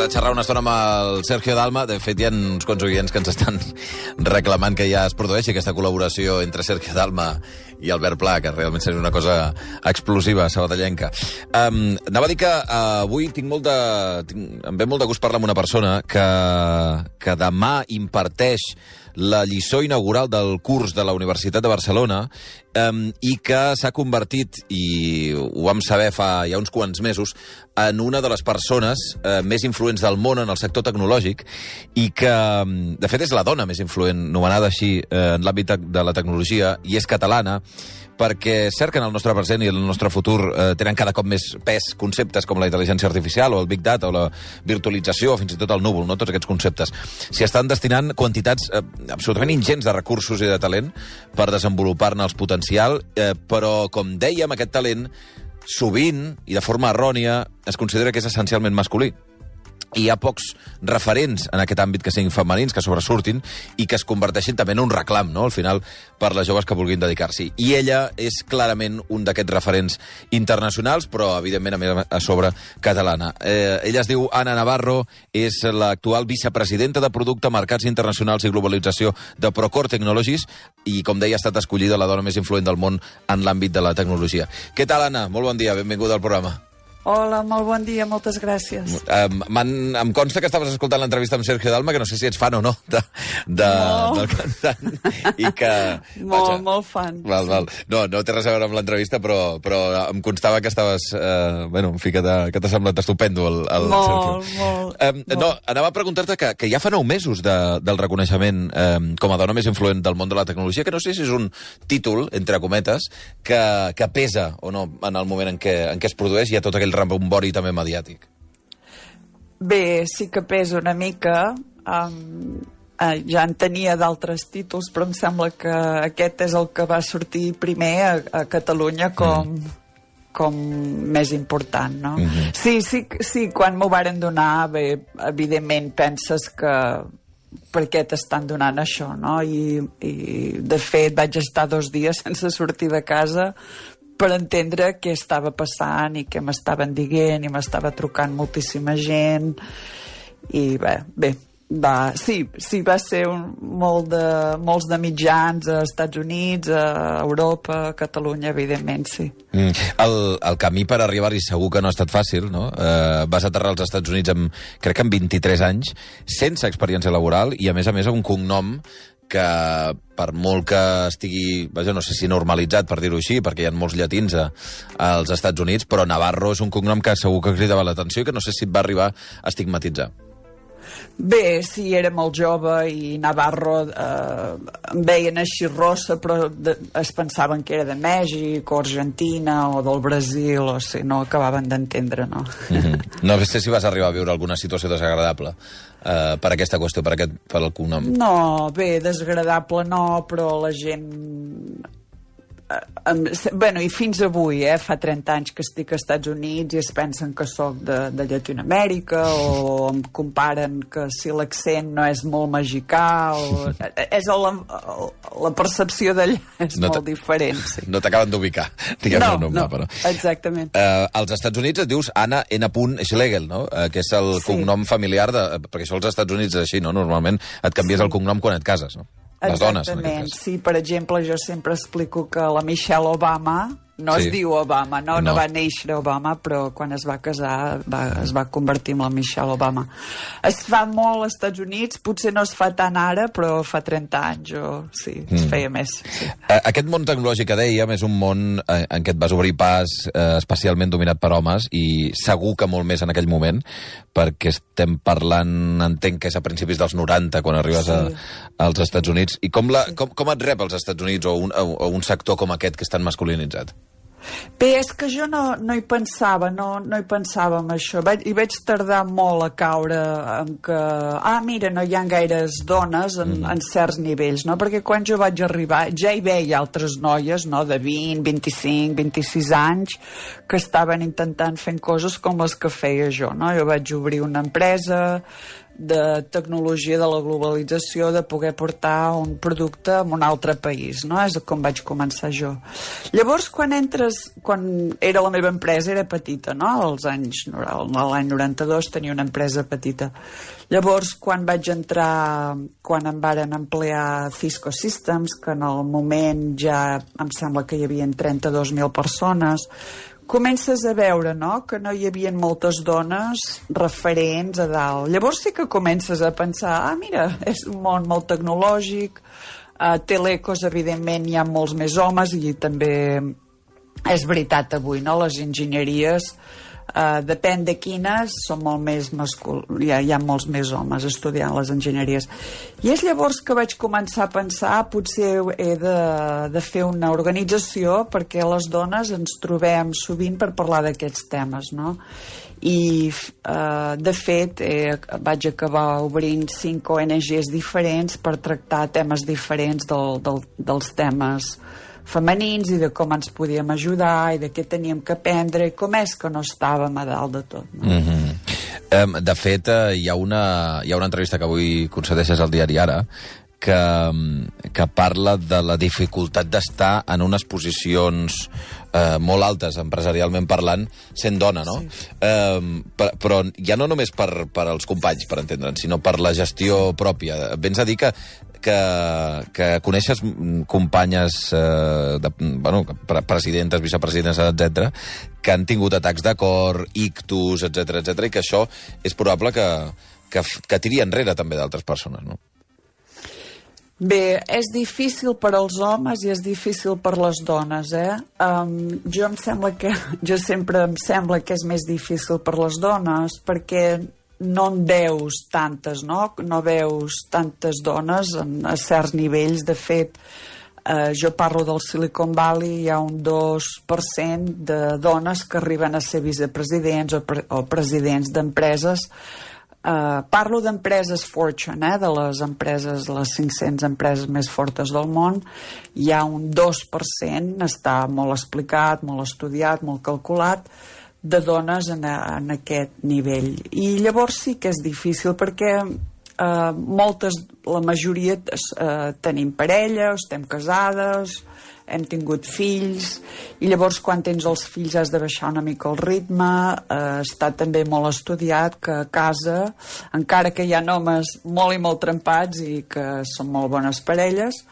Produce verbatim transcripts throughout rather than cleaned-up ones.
de xerrar una estona amb el Sergio Dalma. De fet, hi ha uns quants oients que ens estan reclamant que ja es produeixi aquesta col·laboració entre Sergio Dalma i Albert Pla, que realment seria una cosa explosiva, sabadellenca. Um, anava a dir que uh, avui tinc molt de, tinc, em ve molt de gust parlar amb una persona que, que demà imparteix la lliçó inaugural del curs de la Universitat de Barcelona um, i que s'ha convertit, i ho vam saber fa ja uns quants mesos, en una de les persones uh, més influents del món en el sector tecnològic i que, um, de fet, és la dona més influent, nomenada així, uh, en l'àmbit de la tecnologia, i és catalana, perquè és cert que en el nostre present i en el nostre futur eh, tenen cada cop més pes conceptes com la intel·ligència artificial o el Big Data o la virtualització o fins i tot el núvol, no? Tots aquests conceptes. S'hi estan destinant quantitats eh, absolutament ingents de recursos i de talent per desenvolupar-ne els potencial, eh, però, com dèiem, aquest talent sovint, i de forma errònia, es considera que és essencialment masculí. I hi ha pocs referents en aquest àmbit que siguin femenins, que sobresurtin i que es converteixin també en un reclam, no?, al final, per les joves que vulguin dedicar-s'hi. I ella és clarament un d'aquests referents internacionals, però, evidentment, a més a sobre, catalana. Eh, ella es diu Anna Navarro, és l'actual vicepresidenta de Producte, Mercats Internacionals i Globalització de Procore Technologies i, com deia, ha estat escollida la dona més influent del món en l'àmbit de la tecnologia. Què tal, Anna? Molt bon dia, benvinguda al programa. Hola, molt bon dia, moltes gràcies. Um, em consta que estaves escoltant l'entrevista amb Sergio Dalma, que no sé si ets fan o no de, de, no. del cantant. I que, molt, vaja, molt fan. Val, val. No, no té res a veure amb l'entrevista, però, però em constava que estaves... Eh, bueno, en fi, que t'ha semblat estupendo el, el molt, Sergio. Molt, um, molt. No, anava a preguntar-te que, que ja fa nou mesos de, del reconeixement um, com a dona més influent del món de la tecnologia, que no sé si és un títol, entre cometes, que, que pesa o no en el moment en què, en què es produeix i hi ha tot aquell rebombori també mediàtic. Bé, sí que pesa una mica. Um, eh, ja en tenia d'altres títols, però em sembla que aquest és el que va sortir primer a, a Catalunya com, mm. com més important, no? Mm-hmm. Sí, sí, sí, quan m'ho varen donar, bé, evidentment penses que per què t'estan donant això, no? I, i de fet vaig estar dos dies sense sortir de casa per entendre què estava passant i què m'estaven dient, i m'estava trucant moltíssima gent, i bé, bé, va, sí, sí, va ser un, molt de, molts de mitjans als Estats Units, a Europa, a Catalunya, evidentment, sí. Mm. El, el camí per arribar-hi segur que no ha estat fàcil, no? Eh, vas aterrar als Estats Units amb, crec que amb vint-i-tres anys, sense experiència laboral, i a més a més un cognom que per molt que estigui, vaja, no sé si normalitzat, per dir-ho així, perquè hi ha molts llatins a, als Estats Units, però Navarro és un cognom que segur que cridava l'atenció i que no sé si et va arribar a estigmatitzar. Bé, sí, era molt jove i Navarro eh, em veien així rossa, però de, es pensaven que era de Mèxic o Argentina o del Brasil, o sigui, no acabaven d'entendre, no? Mm-hmm. No sé si vas arribar a viure alguna situació desagradable eh, per aquesta qüestió, per, aquest, per el cognom. No, bé, desagradable no, però la gent... Um, bueno, i fins avui, eh, fa trenta anys que estic als Estats Units i es pensen que sóc de, de Llatinoamèrica, o em comparen que si l'accent no és molt mexicà, o... és la, la percepció d'allà és no molt diferent, sí. No t'acaben d'ubicar, diguem no, no, no, però... exactament. Uh, als Estats Units et dius Anna N. Schlegel, no? Uh, que és el sí. cognom familiar, de, perquè això als Estats Units és així, no? Normalment et canvies sí. el cognom quan et cases, no? Les dones, en aquest cas. Sí, per exemple, jo sempre explico que la Michelle Obama no sí. es diu Obama, no, no, no va néixer Obama, però quan es va casar va, es va convertir en la Michelle Obama. Es fa molt als Estats Units, potser no es fa tant ara, però fa trenta anys o sí, es mm. feia més. Sí. Aquest món tecnològic que dèiem és un món en què et vas obrir pas eh, especialment dominat per homes, i segur que molt més en aquell moment, perquè estem parlant, entenc que és a principis dels noranta, quan arribes sí. a, als Estats Units. I com, la, sí. com, com et rep als Estats Units o un, o un sector com aquest que és tan masculinitzat? Bé, és que jo no, no hi pensava, no, no hi pensava en això. Vaig, I vaig tardar molt a caure en que, ah, mira, no hi ha gaires dones en, mm. en certs nivells, no? Perquè quan jo vaig arribar ja hi veia altres noies, no?, de vint, vint-i-cinc, vint-i-sis anys, que estaven intentant fent coses com les que feia jo, no? Jo vaig obrir una empresa, de tecnologia, de la globalització, de poder portar un producte a un altre país, no? És com vaig començar jo. Llavors, quan entres, quan era la meva empresa, era petita, no? Als anys, l'any noranta-dos tenia una empresa petita. Llavors, quan vaig entrar, quan em varen emplear Cisco Systems, que en el moment ja em sembla que hi havia trenta-dos mil persones, comences a veure, no?, que no hi havia moltes dones referents a dalt. Llavors sí que comences a pensar, ah, mira, és un món molt tecnològic, a Telecos, evidentment, hi ha molts més homes, i també és veritat avui, no?, les enginyeries, Uh, depèn de quines, són molt més mascul... hi, ha, hi ha molts més homes estudiant les enginyeries. I és llavors que vaig començar a pensar, potser he de, de fer una organització perquè les dones ens trobem sovint per parlar d'aquests temes, no? I uh, de fet eh, vaig acabar obrint cinc O N Ges diferents per tractar temes diferents del, del, dels temes femenins i de com ens podíem ajudar i de què teníem que aprendre i com és que no estàvem a dalt de tot, no? Mm-hmm. um, de fet, uh, hi, ha una, hi ha una entrevista que avui concedeixes al diari Ara que, que parla de la dificultat d'estar en unes posicions eh, molt altes, empresarialment parlant, sent dona, no? Sí. Eh, per, però ja no només per, per als companys, per entendre'ns, sinó per la gestió pròpia. Vens a dir que que, que coneixes companyes, eh, de, bueno, presidentes, vicepresidentes, etcètera, que han tingut atacs de cor, ictus, etcètera, etcètera, i que això és probable que, que, que tiri enrere també d'altres persones, no? Bé, és difícil per als homes i és difícil per les dones, eh? Um, jo em sembla que... Jo sempre em sembla que és més difícil per les dones perquè no en veus tantes, no? No veus tantes dones en, a certs nivells. De fet, eh, jo parlo del Silicon Valley, hi ha un dos per cent de dones que arriben a ser vicepresidents o, pre o presidents d'empreses. Uh, parlo d'empreses Fortune, eh, de les empreses, les cinc-centes empreses més fortes del món. Hi ha un dos per cent, està molt explicat, molt estudiat, molt calculat, de dones en, a, en aquest nivell. I llavors sí que és difícil perquè eh, moltes, la majoria eh, tenim parella, estem casades, hem tingut fills, i llavors quan tens els fills has de baixar una mica el ritme. Eh, està també molt estudiat que a casa, encara que hi ha homes molt i molt trempats i que són molt bones parelles,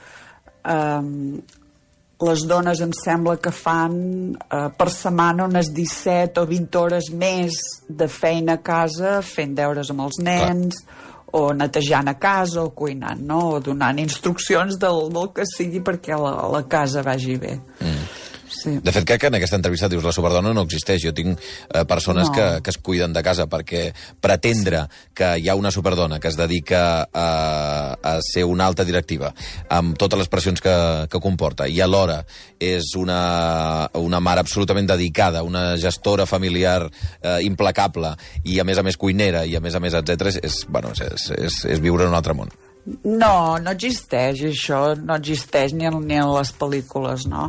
eh, les dones em sembla que fan eh, per setmana unes disset o vint hores més de feina a casa, fent deures amb els nens, clar, o netejant a casa, o cuinant, no? O donant instruccions del, del que sigui perquè la, la casa vagi bé. Mm. Sí. De fet, crec que en aquesta entrevista dius la superdona no existeix. Jo tinc eh, persones no. que, que es cuiden de casa, perquè pretendre sí. que hi ha una superdona que es dedica a, a ser una alta directiva amb totes les pressions que, que comporta i alhora és una, una mare absolutament dedicada, una gestora familiar eh, implacable i a més a més cuinera i a més a més etcètera, és, és, bueno, és, és, és viure en un altre món. No, no existeix això, no existeix ni en, ni en les pel·lícules, no?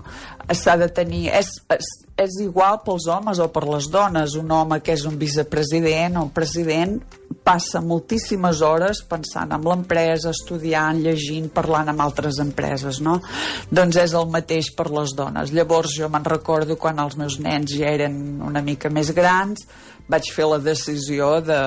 S'ha de tenir... És, és, és igual pels homes o per les dones. Un home que és un vicepresident o un president passa moltíssimes hores pensant en l'empresa, estudiant, llegint, parlant amb altres empreses, no? Doncs és el mateix per les dones. Llavors jo me'n recordo quan els meus nens ja eren una mica més grans, vaig fer la decisió de,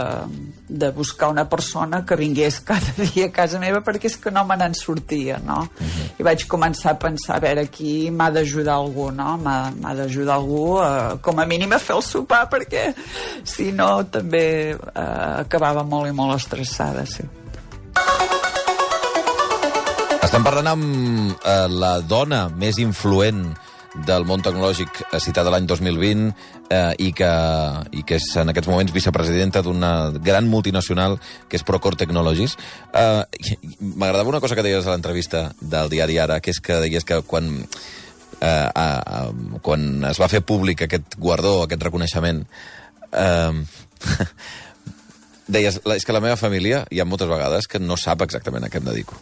de buscar una persona que vingués cada dia a casa meva perquè és que no me n'en sortia, no? Uh-huh. I vaig començar a pensar, a veure, aquí m'ha d'ajudar algú, no? M'ha d'ajudar algú, eh, com a mínim a fer el sopar, perquè si no també eh, acabava molt i molt estressada, sí. Estem parlant amb eh, la dona més influent del món tecnològic citada l'any dos mil vint eh, i, que, i que és en aquests moments vicepresidenta d'una gran multinacional que és Procore Technologies. Eh, M'agradava una cosa que deies a l'entrevista del diari Ara, que és que deies que quan, eh, a, a, quan es va fer públic aquest guardó, aquest reconeixement, eh, deies, és que la meva família hi ha moltes vegades que no sap exactament a què em dedico.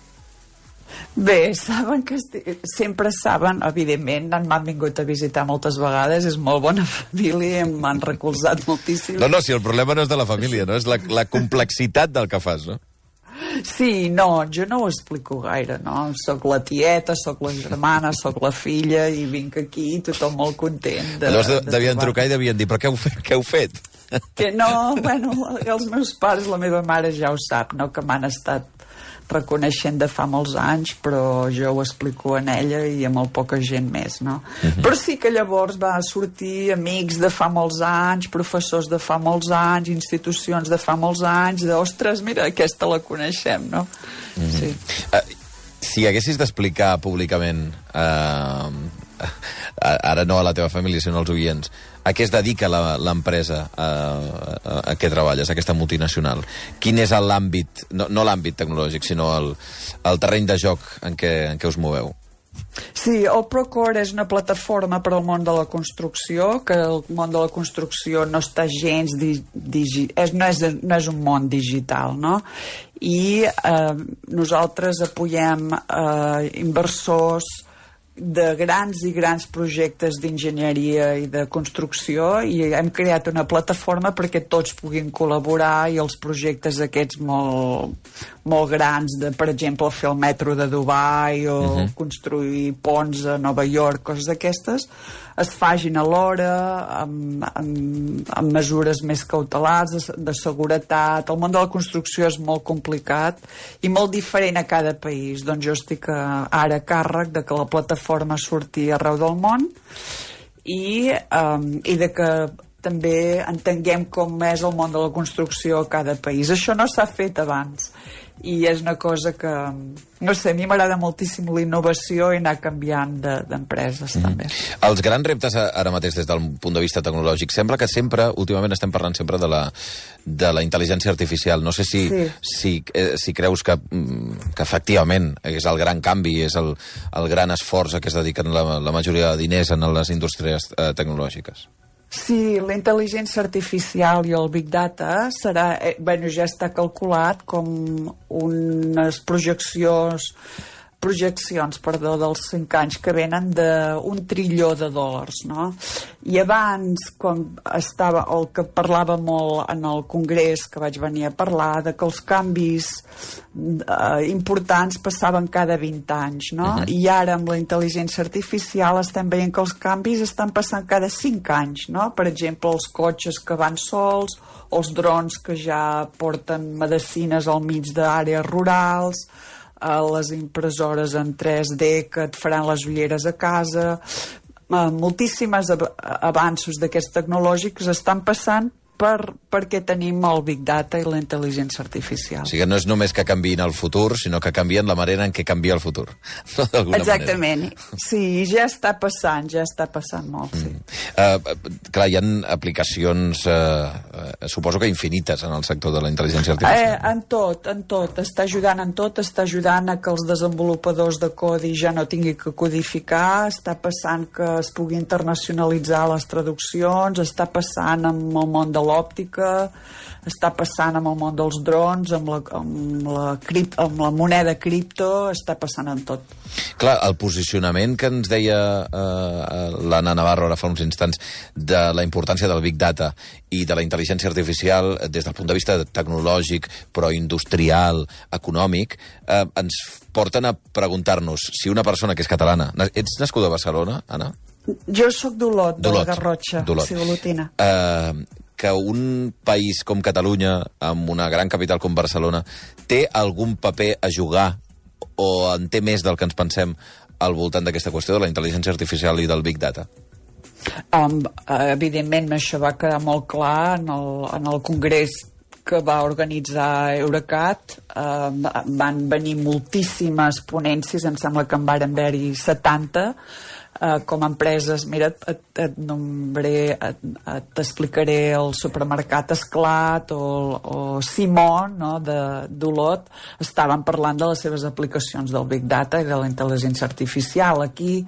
Bé, saben que esti... sempre saben, evidentment, m'han vingut a visitar moltes vegades, és molt bona família, m'han recolzat moltíssim. No, no, si el problema no és de la família, no? És la, la complexitat del que fas, no? Sí, no, jo no ho explico gaire, no? Soc la tieta, soc la germana, soc la filla, i vinc aquí, tothom molt content. De, Llavors de, de devien trobar. trucar i devien dir, però què heu fet? Què heu fet? Que no, bueno, els meus pares, la meva mare ja ho sap, no? Que m'han estat reconeixent de fa molts anys, però jo ho explico en ella i a molt poca gent més, no? Uh-huh. Però sí que llavors va sortir amics de fa molts anys, professors de fa molts anys, institucions de fa molts anys, de, ostres, mira, aquesta la coneixem, no? Uh-huh. Sí. Uh, si haguessis d'explicar públicament, uh, ara no a la teva família, sinó als oients, a què es dedica l'empresa a, a, a què treballes, aquesta multinacional? Quin és l'àmbit, no, no l'àmbit tecnològic, sinó el, el terreny de joc en què, en què us moveu? Sí, el Procore és una plataforma per al món de la construcció, que el món de la construcció no està gens... Di, digi, és, no, és, no és un món digital, no? I eh, nosaltres apoyem eh, inversors de grans i grans projectes d'enginyeria i de construcció, i hem creat una plataforma perquè tots puguin col·laborar, i els projectes aquests molt, molt grans, de, per exemple, fer el metro de Dubai o uh-huh. construir ponts a Nova York, coses d'aquestes, es fagin alhora amb, amb, amb mesures més cautelars de, de seguretat. El món de la construcció és molt complicat i molt diferent a cada país. Doncs jo estic a, ara a càrrec de que la plataforma surti arreu del món i, um, i de que també entenguem com és el món de la construcció a cada país. Això no s'ha fet abans i és una cosa que, no sé, a mi m'agrada moltíssim la innovació i anar canviant d'empreses, de, també. Mm. Els grans reptes ara mateix des del punt de vista tecnològic, sembla que sempre, últimament estem parlant sempre de la, de la intel·ligència artificial. No sé si, sí. si, eh, si creus que, que efectivament és el gran canvi, és el, el gran esforç a què es dediquen la, la majoria de diners en les indústries eh, tecnològiques. Sí, la intel·ligència artificial i el Big Data serà, eh, bueno, ja està calculat com unes projeccions projeccions, perdó, dels cinc anys que venen d'un trilló de dòlars, no? I abans, quan estava, el que parlava molt en el congrés, que vaig venir a parlar, de que els canvis eh, importants passaven cada vint anys, no? Uh-huh. I ara, amb la intel·ligència artificial, estem veient que els canvis estan passant cada cinc anys, no? Per exemple, els cotxes que van sols, els drons que ja porten medicines al mig d'àrees rurals, a les impressores en tres D que et faran les ulleres a casa, uh, moltíssimes av avanços d'aquests tecnològics estan passant per, perquè tenim el Big Data i la intel·ligència artificial. O sigui, no és només que canviïn el futur, sinó que canvien la manera en què canvia el futur. No, exactament. Manera. Sí, ja està passant, ja està passant molt, sí. Mm. Uh, clar, hi ha aplicacions, uh, uh, suposo que infinites en el sector de la intel·ligència artificial. Eh, en tot, en tot. Està ajudant en tot, està ajudant a que els desenvolupadors de codi ja no tinguin que codificar, està passant que es pugui internacionalitzar les traduccions, està passant amb el món de l'òptica, està passant amb el món dels drons, amb la, amb la, cript, amb la moneda cripto, està passant en tot. Clar, el posicionament que ens deia eh, l'Anna Navarro ara fa uns instants de la importància del Big Data i de la intel·ligència artificial des del punt de vista tecnològic, però industrial, econòmic, eh, ens porten a preguntar-nos si una persona que és catalana... Ets nascuda a Barcelona, Anna? Jo sóc d'Olot, de la Garrotxa, sí, olotina. Eh... que un país com Catalunya, amb una gran capital com Barcelona, té algun paper a jugar o en té més del que ens pensem al voltant d'aquesta qüestió de la intel·ligència artificial i del Big Data? Um, evidentment, això va quedar molt clar en el, en el congrés que va organitzar Eurecat. Uh, van venir moltíssimes ponències, em sembla que en varen haver-hi setanta, Uh, com a empreses. Mira, et, et nombré, t'explicaré el supermercat Esclat o, o Simon, no, d'Olot, estaven parlant de les seves aplicacions del Big Data i de la intel·ligència artificial. Aquí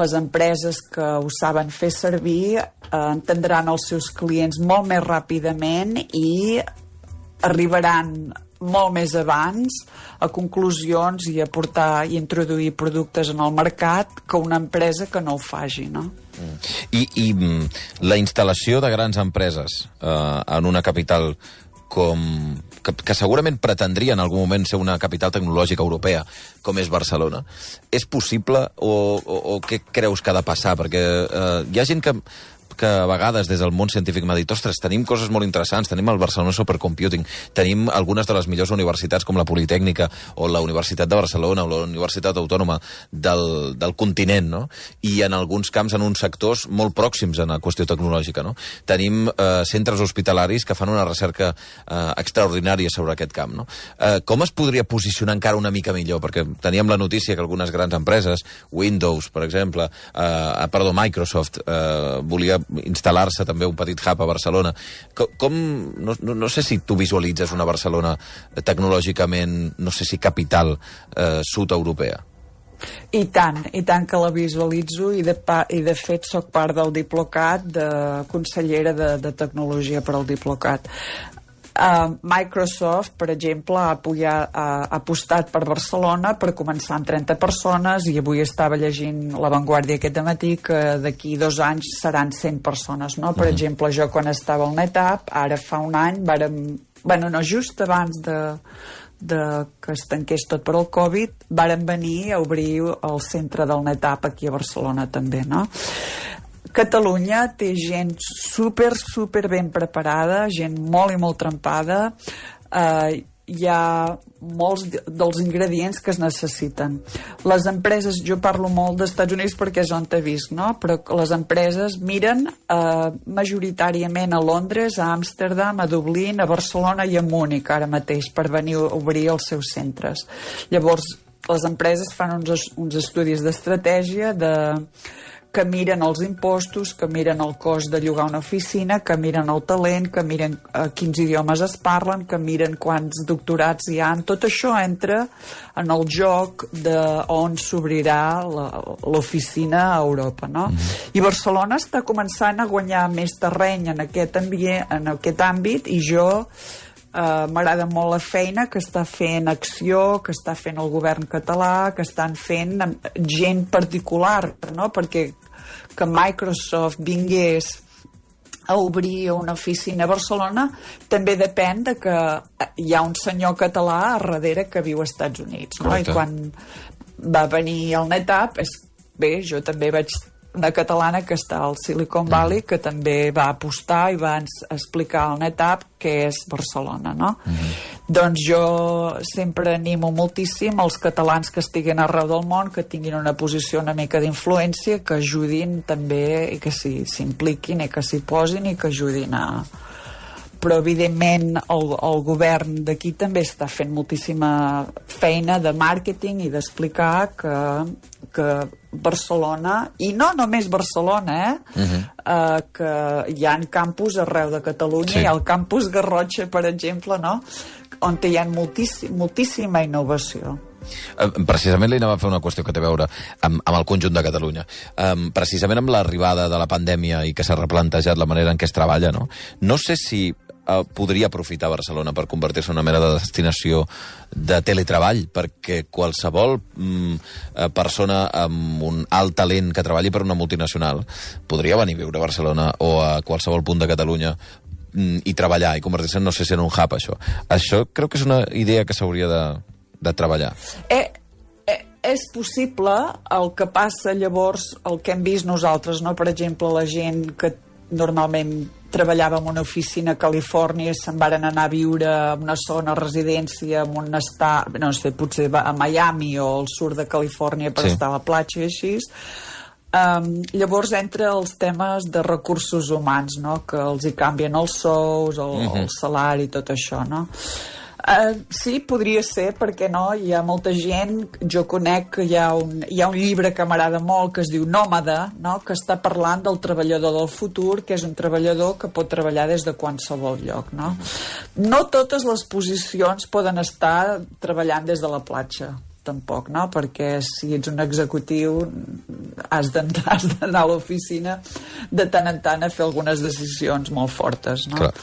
les empreses que ho saben fer servir eh, entendran els seus clients molt més ràpidament i arribaran molt més abans a conclusions i a portar i introduir productes en el mercat que una empresa que no ho faci, no? I, i la instal·lació de grans empreses eh, en una capital com, que, que segurament pretendria en algun moment ser una capital tecnològica europea, com és Barcelona, és possible o, o, o què creus que ha de passar? Perquè eh, hi ha gent que que a vegades des del món científic m'ha dit, ostres, tenim coses molt interessants, tenim el Barcelona Supercomputing, tenim algunes de les millors universitats com la Politècnica o la Universitat de Barcelona o la Universitat Autònoma del, del continent, no? I en alguns camps, en uns sectors molt pròxims en la qüestió tecnològica, no? Tenim eh, centres hospitalaris que fan una recerca eh, extraordinària sobre aquest camp, no? Eh, com es podria posicionar encara una mica millor? Perquè teníem la notícia que algunes grans empreses, Windows, per exemple, eh, perdó, Microsoft, eh, volia instal·lar-se també un petit hub a Barcelona. Com, com no, no, no sé si tu visualitzes una Barcelona tecnològicament, no sé si capital eh, sud-europea. I tant, i tant que la visualitzo i de, pa, i de fet soc part del Diplocat, de consellera de, de tecnologia per al Diplocat. Uh, Microsoft, per exemple, ha, apoyat, ha, ha apostat per Barcelona per començar amb trenta persones i avui estava llegint La Vanguardia aquest matí que d'aquí dos anys seran cent persones, no? Per uh-huh. exemple, jo quan estava al NetApp, ara fa un any, vàrem, bueno, no, just abans de, de que es tanqués tot per al Covid, vàrem venir a obrir el centre del NetApp aquí a Barcelona també, no? Catalunya té gent super, super ben preparada, gent molt i molt trempada. Eh, hi ha molts dels ingredients que es necessiten. Les empreses, jo parlo molt dels Estats Units perquè és on t'he vist, no? Però les empreses miren eh, majoritàriament a Londres, a Amsterdam, a Dublín, a Barcelona i a Múnich ara mateix per venir a obrir els seus centres. Llavors, les empreses fan uns, uns estudis d'estratègia de que miren els impostos, que miren el cost de llogar una oficina, que miren el talent, que miren eh, quins idiomes es parlen, que miren quants doctorats hi ha. Tot això entra en el joc de on s'obrirà l'oficina a Europa, no? Mm. I Barcelona està començant a guanyar més terreny en aquest, ambient, en aquest àmbit i jo Uh, m'agrada molt la feina que està fent Acció, que està fent el govern català, que estan fent gent particular, no? Perquè que Microsoft vingués a obrir una oficina a Barcelona també depèn de que hi ha un senyor català a darrere que viu als Estats Units, no? I quan va venir el NetApp, és, bé, jo també vaig una catalana que està al Silicon Valley, que també va apostar i va explicar al NetApp què és Barcelona, no? Mm-hmm. Doncs jo sempre animo moltíssim els catalans que estiguen arreu del món, que tinguin una posició una mica d'influència, que ajudin també i que s'impliquin i que s'hi posin i que ajudin a... Però evidentment el, el govern d'aquí també està fent moltíssima feina de màrqueting i d'explicar que, que Barcelona, i no només Barcelona, eh? Uh-huh. Uh, que hi ha campus arreu de Catalunya, sí. Hi ha el campus Garrotxa, per exemple, no? On hi ha moltíssim, moltíssima innovació. Precisament li anava a fer una qüestió que té a veure amb, amb el conjunt de Catalunya. Um, precisament amb l'arribada de la pandèmia i que s'ha replantejat la manera en què es treballa, no? No sé si uh, podria aprofitar Barcelona per convertir-se en una mena de destinació de teletreball, perquè qualsevol um, persona amb un alt talent que treballi per una multinacional podria venir a viure a Barcelona o a qualsevol punt de Catalunya i treballar i convertir-se, no sé si en un hub, això. Això crec que és una idea que s'hauria de de treballar. Eh, eh, és possible. El que passa llavors, el que hem vist nosaltres, no? Per exemple, la gent que normalment treballava en una oficina a Califòrnia se'n varen anar a viure en una zona residència en un estat, no sé, potser a Miami o al sud de Califòrnia per sí. Estar a la platja i així. Um, llavors entra els temes de recursos humans, no? Que els hi canvien els sous, el, uh-huh. el salari i tot això, no? Uh, sí, podria ser, perquè no? Hi ha molta gent, jo conec que hi ha un, hi ha un llibre que m'agrada molt que es diu Nòmada, no? Que està parlant del treballador del futur, que és un treballador que pot treballar des de qualsevol lloc, no? No totes les posicions poden estar treballant des de la platja, tampoc, no? Perquè si ets un executiu has d'anar a l'oficina de tant en tant a fer algunes decisions molt fortes, no? Clar.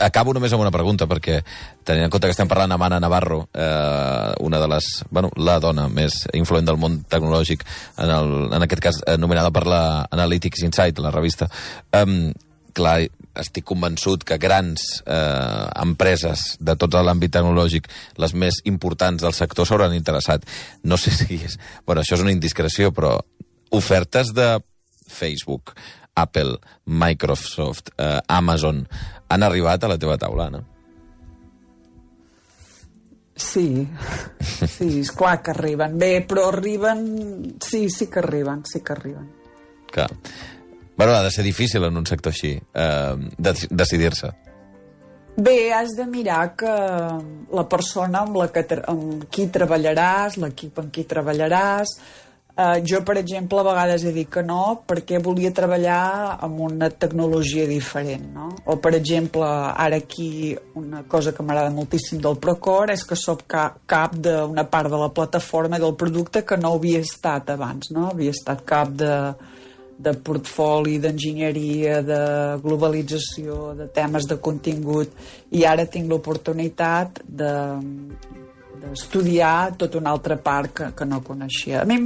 Acabo només amb una pregunta, perquè tenint en compte que estem parlant amb Anna Navarro, eh, una de les... Bueno, la dona més influent del món tecnològic, en, el, en aquest cas anomenada per la Analytics Insight, la revista. Um, clar, estic convençut que grans eh, empreses de tot l'àmbit tecnològic, les més importants del sector, s'hauran interessat. No sé si és... Bueno, això és una indiscreció, però ofertes de Facebook, Apple, Microsoft, eh, Amazon, han arribat a la teva taula, Anna? Sí, sí, és clar que arriben. Bé, però arriben... Sí, sí que arriben, sí que arriben. Clar. Bueno, ha de ser difícil en un sector així, eh, de, decidir-se. Bé, has de mirar que la persona amb, la que amb qui treballaràs, l'equip amb qui treballaràs... Uh, jo, per exemple, a vegades he dit que no perquè volia treballar amb una tecnologia diferent, no? O, per exemple, ara aquí una cosa que m'agrada moltíssim del Procore és que soc ca cap d'una part de la plataforma del producte que no havia estat abans, no? Havia estat cap de, de portfoli, d'enginyeria, de globalització, de temes de contingut, i ara tinc l'oportunitat de d'estudiar tota una altra part que, que no coneixia. A mi,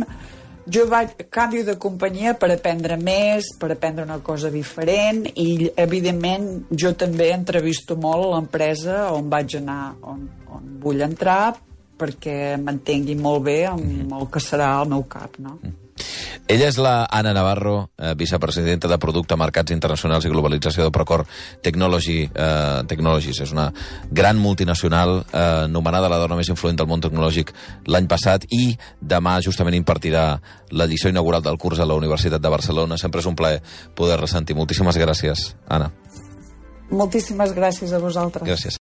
jo vaig, canvio de companyia per aprendre més, per aprendre una cosa diferent, i, evidentment, jo també entrevisto molt l'empresa on vaig anar, on, on vull entrar, perquè m'entengui molt bé amb el que serà el meu cap, no? Ella és la Anna Navarro, eh, vicepresidenta de Producte, Mercats Internacionals i Globalització de Procore Technology, eh, Technologies. És una gran multinacional, eh, nomenada la dona més influent del món tecnològic l'any passat, i demà justament impartirà l'edició inaugural del curs a la Universitat de Barcelona. Sempre és un plaer poder ressentir. Moltíssimes gràcies, Anna. Moltíssimes gràcies a vosaltres. Gràcies.